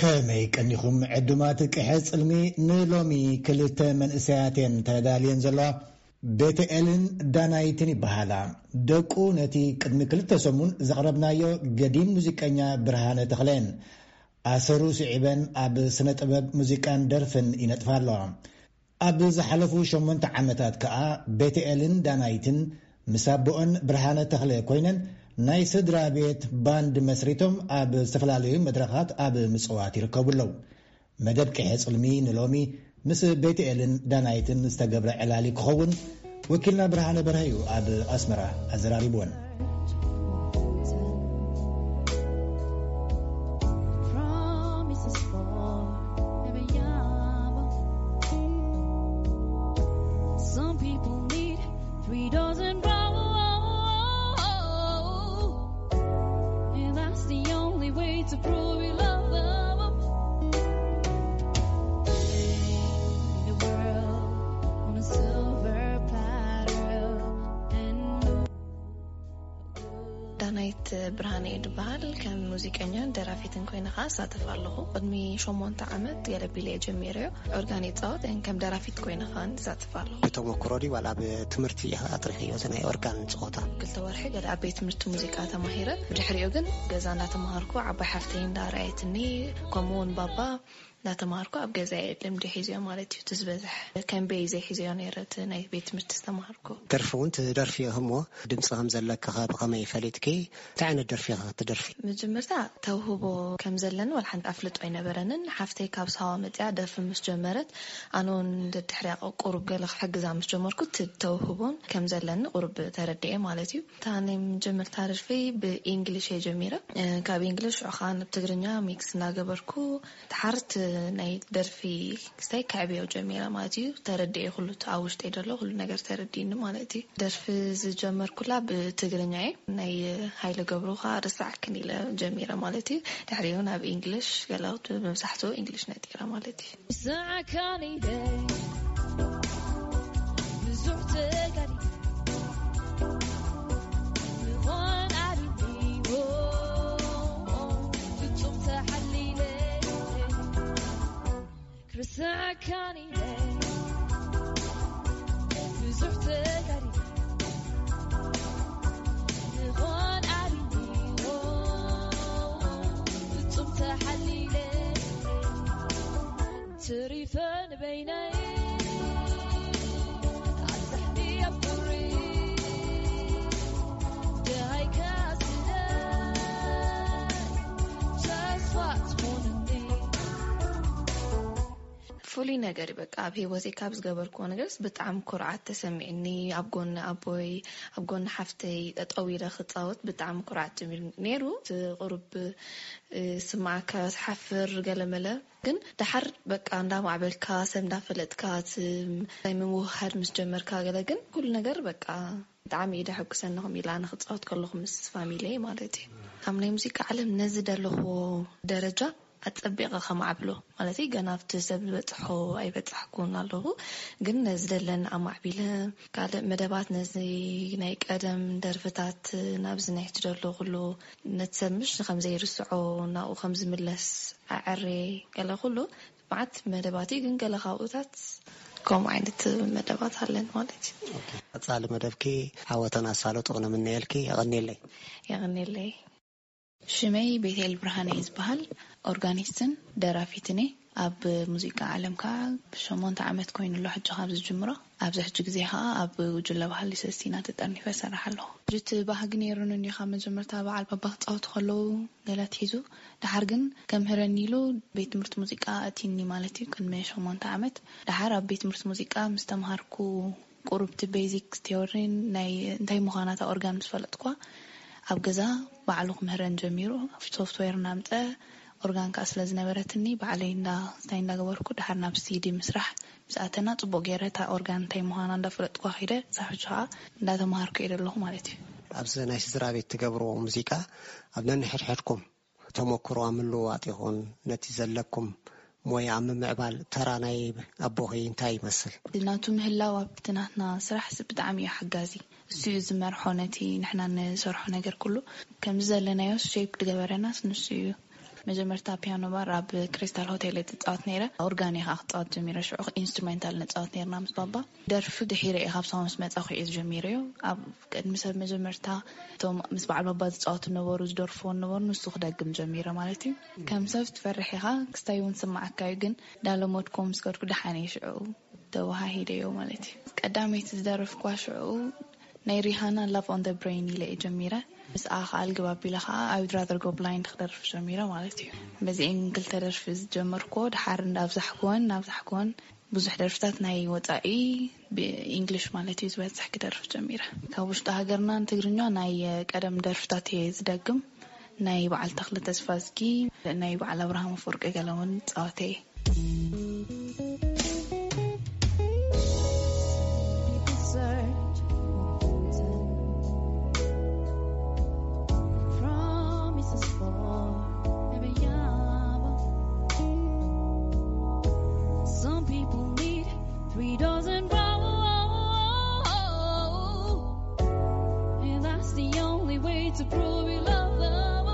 ከመይ ቀኒኹም ዕዱማት ቅሐ ጽልሚ? ንሎሚ ክልተ መንእሰያት እየን ተዳልየን ዘለዋ። ቤተኤልን ዳናይትን ይበሃላ። ደቁ ነቲ ቅድሚ ክልተ ሰሙን ዘቕረብናዮ ገዲም ሙዚቀኛ ብርሃነ ተኽለን ኣሰሩ ስዒበን ኣብ ስነ ጥበብ ሙዚቃን ደርፍን ይነጥፋ ኣለዋ። ኣብ ዝሓለፉ ሸሞንተ ዓመታት ከኣ ቤተኤልን ዳናይትን ምስ ኣቦኦን ብርሃነ ተኽለ ኮይነን ናይ ስድራ ቤት ባንድ መስሪቶም ኣብ ዝተፈላለዩ መድረኻት ኣብ ምጽዋት ይርከቡ ኣለዉ። መደብ ቅሐ ጽልሚ ንሎሚ ምስ ቤተኤልን ዳናይትን ዝተገብረ ዕላሊ ክኸውን ወኪልና ብርሃነ በርሀ እዩ ኣብ ኣስመራ ኣዘራሪብወን። Promises for every hour. Some people need three dozen roses, and that's the only way to prove you love them. Lay the world on a silver platter and ዳናይት ብርሃነ እየ ዝበሃል። ከም ሙዚቀኛን ደራፊትን ኮይነ ኸዓ እሳተፍ ኣለኹ። ቅድሚ ሸሞንተ ዓመት ገለ ቢለ እየ ጀሚረዮ። ኦርጋን ይፃወት፣ ን ከም ደራፊት ኮይነ ኸዓ እሳተፍ ኣለኹ። ብተመኩሮ ድዩ ዋላ ኣብ ትምህርቲ ኢኻ ኣጥሪኽዮ እዚ ናይ ኦርጋን ፀወታ? ክልተ ወርሒ ገለ ኣብ ቤት ትምህርቲ ሙዚቃ ተማሂረ። ብድሕሪኡ ግን ገዛ እንዳተማሃርኩ ዓባይ ሓፍተይ እንዳርኣየትኒ፣ ከምኡ እውን ባባ እንዳተማሃርኩ ኣብ ገዛ እየ ልምዲ ሒዝዮ ማለት እዩ። እቲ ዝበዝሕ ከም ቤይ ዘይሒዝዮ ነይረ እቲ ናይ ቤት ትምህርቲ ዝተማሃርኩ። ደርፊ እውን ትደርፊ እሞ ድምፂ ከም ዘለኪ ኸ ብኸመይ ፈሊጥኪ? እንታይ ዓይነት ደርፊ ኢኻ ትደርፊ? መጀመርታ ተውህቦ ከም ዘለኒ ዋላ ሓንቲ ኣፍልጦ ኣይነበረንን። ሓፍተይ ካብ ሳዋ መፅያ ደርፊ ምስ ጀመረት ኣነ እውን ደድሕሪያ ቁሩብ ገለ ክሕግዛ ምስ ጀመርኩ እቲ ተውህቦን ከም ዘለኒ ቁሩብ ተረዲኤ ማለት እዩ። እታ ናይ መጀመርታ ደርፊ ብኢንግሊሽ እየ ጀሚረ። እ፣ ካብ ኢንግሊሽ ሽዑ ኸዓ ናብ ትግርኛ ሚክስ እናገበርኩ ድሓር እቲ ናይ ደርፊ ክስታይ ከዕብዮ ጀሚረ ማለት እዩ። ተረዲኤ ኩሉ እቲ ኣብ ውሽጠይ ዘሎ ኩሉ ነገር ተረዲእኒ ማለት እዩ። ደርፊ ዝጀመርኩላ ብትግርኛ እዩ። ናይ ሃይለ ገብሩ ኸዓ ርሳዕክን ኢለ ጀሚረ ማለት እዩ። ድሕሪኡ ናብ ኢንግሊሽ ገለ መብዛሕትኡ ኢንግሊሽ ነጢረ ማለት እዩ። ስዓካን ኢለ ብዙሕ ተጋዲለ ምዃን ኣሪኒዎ ፍጹም ተሓሊለ ክርስዓካን ኢለ ብዙሕ ተጋዲለ ምዃን ኣሪኒዎ ፍጹም ተሓሊለ ትሪፈ ንበይነይ ኣብዛሕኒ ኣብ ቁሪ ደሃይካ ስለ ተስፋ ትኾንኒ። ፍሉይ ነገር እዩ። በቃ ኣብ ህይወተይ ካብ ዝገበርክዎ ነገርስ ብጣዕሚ ኩርዓት ተሰሚዕኒ። ኣብ ጎኒ ኣቦይ፣ ኣብ ጎኒ ሓፍተይ ጠጠው ኢለ ክፃወት ብጣዕሚ ኩርዓት ጀሚሩ ነይሩ። እቲ ቁሩብ፣ እ፣ ስማዓካ ትሓፍር ገለመለ። ግን ደሓር በቃ እንዳማዕበልካ፣ ሰብ እንዳፈለጥካ፣ እቲ ናይ ምውህሃድ ምስ ጀመርካ ገለ ግን ኩሉ ነገር በቃ ብጣዕሚ እዩ ደሐጉሰኒ፣ ከምኡ ኢለ ኣነ ክፃወት ከለኹ ምስ ፋሚሊየይ ማለት እዩ። ኣብ ናይ ሙዚቃ ዓለም ነዚ ደለኹዎ ደረጃ ኣጸቢቐ ከማዕብሎ፣ ማለት ገና ኣብቲ ሰብ ዝበጽሖ ኣይበጻሕኩን ኣለኹ፣ ግን ነዚ ደለኒ ኣማዕቢለ፣ ካልእ መደባት ነዚ ናይ ቀደም ደርፍታት ናብዚ ናይ ሕጂ ደሎ ኩሉ ነቲ ሰብ ምሽ ከም ዘይርስዖ ናብኡ ከም ዝምለስ ኣዐርየ ገለ ኩሉ መዓት መደባት እዩ፣ ግን ገለ ካብኡታት ከምኡ ዓይነት መደባት ኣለን ማለት እዩ። ኦኬ። ቀጻሊ መደብኪ ዓወትን ኣሳልጦን ንምነየልኪ። የቐንየለይ። የቐንየለይ። ሽመይ ቤቴል ብርሃነ እዩ ዝበሃል። ኦርጋኒስትን ደራፊትን እየ። ኣብ ሙዚቃ ዓለም ከዓ ብሸሞንተ ዓመት ኮይኑ ኣሎ ሕጂ ካብ ዝጅምሮ። ኣብዚ ሕጂ ግዜ ከዓ ኣብ ጉጅለ ባህሊ ሰስቲና ተጠርኒፈ እሰርሕ ኣለኹ። ሕጂ እቲ ባህጊ ነይሩኒ እንዲኻ መጀመርታ በዓል ባባ ክፃወቱ ከለዉ ገለ ኣትሒዙ፣ ደሓር ግን ከምህረኒ ኢሉ ቤት ትምህርቲ ሙዚቃ ኣእትዩኒ ማለት እዩ፣ ቅድሚ ሸሞንተ ዓመት። ደሓር ኣብ ቤት ትምህርቲ ሙዚቃ ምስ ተምሃርኩ፣ ቁሩብ እቲ ቤዚክ ቴዎሪን ናይ እንታይ ምዃና እታ ኦርጋን ምስ ፈለጥኳ፣ ኣብ ገዛ ባዕሉ ክምህረን ጀሚሩ። ሶፍትዌር እናምፀ፣ ኦርጋን ከዓ ስለ ዝነበረትኒ፣ ባዕለይ እንዳ እንታይ እንዳገበርኩ፣ ደሓር ናብ ሲዲ ምስራሕ ምስ ኣተና፣ ፅቡቅ ገይረ እታ ኦርጋን እንታይ ምዃና እንዳፈለጥኳ ከይደ፣ ክሳብ ሕጂ ከዓ እንዳተምሃርኩ እየ ዘለኹ ማለት እዩ። ኣብዚ ናይ ስድራ ቤት ትገብርዎ ሙዚቃ ኣብ ነንሕድሕድኩም ተመክሮ ኣብ ምልውዋጥ ይኹን ነቲ ዘለኩም ሞያ ኣብ ምምዕባል ተራ ናይ ኣቦኺ እንታይ ይመስል? ናቱ ምህላው ኣብቲ ናትና ስራሕስ ብጣዕሚ እዩ ሓጋዚ። እሱ እዩ ዝመርሖ ነቲ ንሕና ንሰርሖ ነገር ኩሉ። ከምዚ ዘለናዮስ ሼፕ ዝገበረናስ ንሱ እዩ። መጀመርታ ፒያኖ ባር ኣብ ክሪስታል ሆቴል እየ ዝፃወት ነይረ። ኦርጋን እየ ከዓ ክፃወት ጀሚረ። ሽዑ ኢንስትሩሜንታል ንፃወት ነይርና ምስ ባባ። ደርፊ ድሒረ እየ፣ ካብ ሳዋ ምስ መፃኹ እየ ዝጀሚረዮ። ኣብ ቅድሚ ሰብ መጀመርታ እቶም ምስ በዓል ባባ ዝፃወቱ ነበሩ፣ ዝደርፍዎ ነበሩ፣ ንሱ ክደግም ጀሚረ ማለት እዩ። ከም ሰብ ትፈርሕ ኢኻ፣ ክስታይ እውን ስማዓካ እዩ። ግን ዳለሞድኮ ምስ ከድኩ ደሓን እየ ሽዑ ተወሃሂደዮ ማለት እዩ። ቀዳመይቲ ዝደረፍኳ ሽዑ ናይ ሪሃና ላቭ ኦን ደ ብሬን ኢለ እየ ጀሚረ። ምስኣ ከዓ ልግብ ኣቢለ ከዓ I would rather go blind ክደርፍ ጀሚረ ማለት እዩ። በዚኤን ክልተ ደርፊ ዝጀመርኩዎ ድሓር እንዳብዛሕኩወን እናብዛሕኩወን ብዙሕ ደርፍታት ናይ ወፃኢ ብኢንግሊሽ ማለት እዩ ዝበዝሕ ክደርፍ ጀሚረ። ካብ ውሽጢ ሃገርና ንትግርኛ ናይ ቀደም ደርፍታት እየ ዝደግም። ናይ በዓል ተኽለ ተስፋዝጊ፣ ናይ በዓል ኣብርሃም ኣፈወርቂ ገለ እውን ፃወተ እየ። People search for fortune, promises for every hour. Some people need three dozen roses, and that's the only way to prove you love them.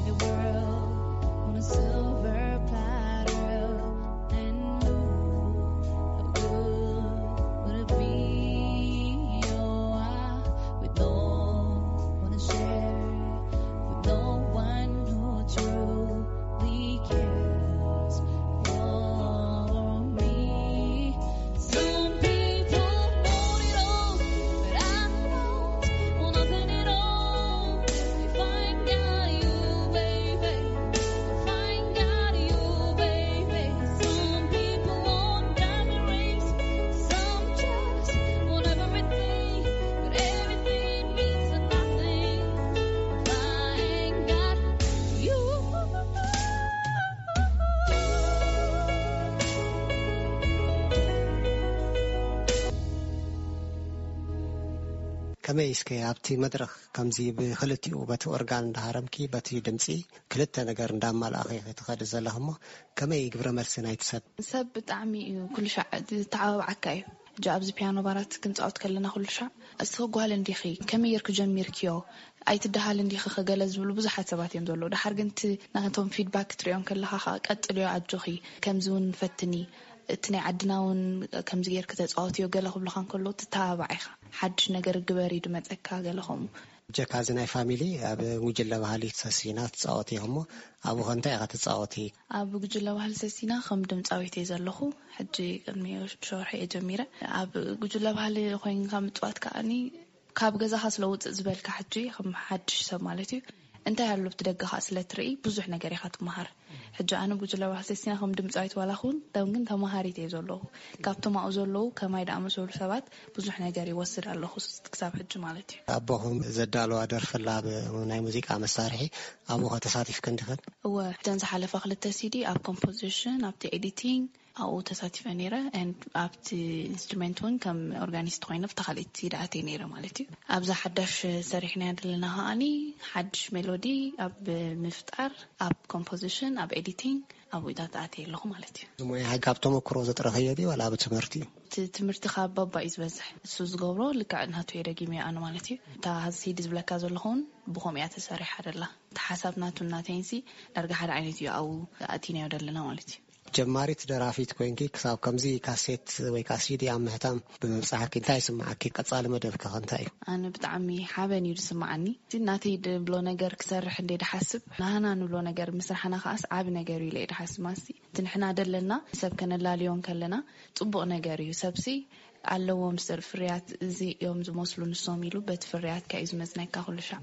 The world on a silver platter and know how good would it be? Oh, I with no one to share, with no one who truly cares for me. Some people want it all, but I don't want nothing at all. If I ain't got you, baby, if I ain't got you, baby. Some people want diamond rings, some just want everything, but everything means nothing if I ain't got you. ከመይ እስከ ኣብቲ መድረኽ ከምዚ ብክልቲኡ በቲ ኦርጋን እንዳሃረምኪ በቲ ድምፂ ክልተ ነገር እንዳማልኣኺ ክትኸዲ ዘለኽሞ ከመይ ግብረ መልሲ ናይቲ ሰብ? ሰብ ብጣዕሚ እዩ ኩሉ ሻዕ ዝተዓባብዓካ እዩ። ሕጂ ኣብዚ ፒያኖ ባራት ክንፃወት ከለና ኩሉ ሻዕ እስኺ ጓል እንዲኺ ከመይ ጌርኪ ጀሚርክዮ ኣይትደሃል እንዲኺ ከገለ ዝብሉ ብዙሓት ሰባት እዮም ዘለዉ። ድሓር ግን እቲ ናቶም ፊድባክ ክትሪኦም ከለኻ ከዓ ቀጥልዮ ኣጆኺ ከምዚ እውን ፈትኒ እቲ ናይ ዓድና እውን ከምዚ ጌርኪ ተፃወትዮ ገለ ክብሉኻ እንከለዉ ትተባባዕ ኢኻ። ሓድሽ ነገር ግበሪ ድመፀካ ገለ ከምኡ። ብጀካ እዚ ናይ ፋሚሊ ኣብ ጉጅለ ባህሊ ሰሲና ትፃወቲ ኢኹሞ ኣብኡ ከ እንታይ ኢኻ ትፃወቲ? ኣብ ጉጅለ ባህሊ ሰሲና ከም ድምፃዊት እየ ዘለኹ። ሕጂ ቅድሚ ሸውርሒ እየ ጀሚረ። ኣብ ጉጅለ ባህሊ ኮይንካ ምፅዋት ከዓኒ ካብ ገዛኻ ስለ ውፅእ ዝበልካ ሕጂ ከም ሓድሽ ሰብ ማለት እዩ እንታይ ኣሎ ኣብቲ ደገኻ ስለ ትርኢ ብዙሕ ነገር ኢኻ ትመሃር። ሕጂ ኣነ ጉጅለ ባህሊ ሰሲና ከም ድምፃዊት ዋላ ኹን ደም ግን ተማሃሪት እየ ዘለኹ። ካብቶም ኣብኡ ዘለዉ ከማይ ደኣመሰሉ ሰባት ብዙሕ ነገር ይወስድ ኣለኹ ክሳብ ሕጂ ማለት እዩ። ኣቦኹም ዘዳለዋ ደርፊ ኣላ ብ ናይ ሙዚቃ መሳርሒ ኣብኡ ኸ ተሳቲፍክን ዲኽን? እወ፣ እተን ዝሓለፋ ክልተ ሲዲ ኣብ ኮምፖዚሽን ኣብቲ ኤዲቲንግ ኣብኡ ተሳቲፈ ነይረ። And ኣብቲ ኢንስትሩመንት እውን ከም ኦርጋኒስት ኮይነ ኣብታ ካልኣይቲ ሲዲ ኣትየ ነይረ ማለት እዩ። ኣብዛ ሓዳሽ ሰሪሕናያ ዘለና ከዓኒ ሓድሽ ሜሎዲ ኣብ ምፍጣር ኣብ ኮምፖዚሽን ኣብ ኤዲቲንግ ኣብኡታት ኣትየ ኣለኹ ማለት እዩ። እዚ ሞያ ሕጂ ካብ ተመክሮ ዘጥረኸዮ ድዩ ዋላ ኣብ ትምህርቲ እዩ? እቲ ትምህርቲ ካብ ባባ እዩ ዝበዝሕ። እሱ ዝገብሮ ልክዕ ናቱ እየ ደጊመዮ ኣነ ማለት እዩ። እታ ሲዲ ዝብለካ ዘለኹ እውን ብኸምኡ እያ ተሰሪሓ ደላ። እቲ ሓሳብ ናቱ ናተይንሲ ዳርጋ ሓደ ዓይነት እዩ ኣብኡ ኣእቲናዮ ደለና ማለት እዩ። ጀማሪት ደራፊት ኮይንኪ ክሳብ ከምዚ ካሴት ወይ ከዓ ሲዲ ኣብ ምህታም ብምብፃሕኪ እንታይ ይስምዓኪ? ቀፃሊ መደብኪ ከ እንታይ እዩ? ኣነ ብጣዕሚ ሓበን እዩ ዝስምዓኒ። እቲ ናተይ ድብሎ ነገር ክሰርሕ እንደ ድሓስብ ናህና ንብሎ ነገር ምስራሕና ከዓስ ዓቢ ነገር እዩ ኢለ እየ ድሓስብ። ማሲ እቲ ንሕና ደለና ሰብ ከነላልዮ እንከለና ፅቡቕ ነገር እዩ። ሰብሲ ኣለዎም ስር ፍርያት እዚ እዮም ዝመስሉ ንሶም ኢሉ በቲ ፍርያትካ እዩ ዝመዝነካ ኩሉ ሻዕ።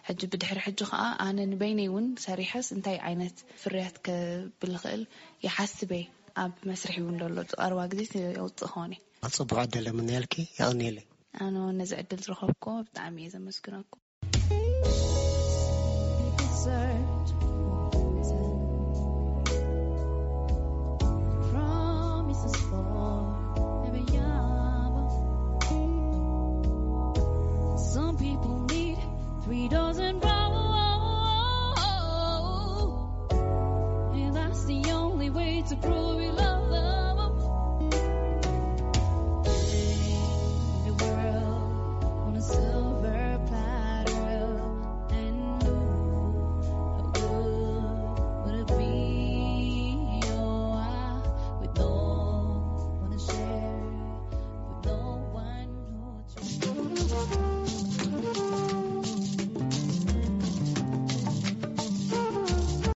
ሕጂ ብድሕሪ ሕጂ ከዓ ኣነ ንበይነይ እውን ሰሪሐስ እንታይ ዓይነት ፍርያት ከብል ይኽእል ይሓስብ እየ። ኣብ መስርሒ እውን ዘሎ ዝቐርባ ግዜ የውፅእ ክኾን እየ። ጽቡቕ ዕድል እምነየልኪ። የቐንየለይ። ኣነ እውን ነዚ ዕድል ዝረኸብኩ ብጣዕሚ እየ ዘመስግነኩም። People search for fortune, promises for every hour. Some people need three dozen roses, and that's the only way to prove